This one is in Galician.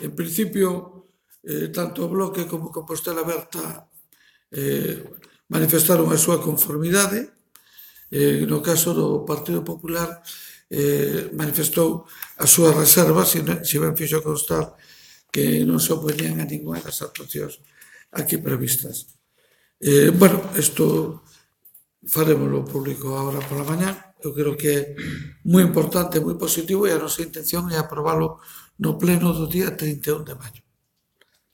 En principio, tanto o Bloque como Compostela Aberta manifestaron a súa conformidade. No caso do Partido Popular manifestou as súas reservas, se ben fixo constar que non se opoñían a ninguna das actuacións aquí previstas. Bueno, isto farémoslo público agora pola mañá. Eu creo que é moi importante, moi positivo, e a nosa intención é aprobalo no pleno do día 31 de maio.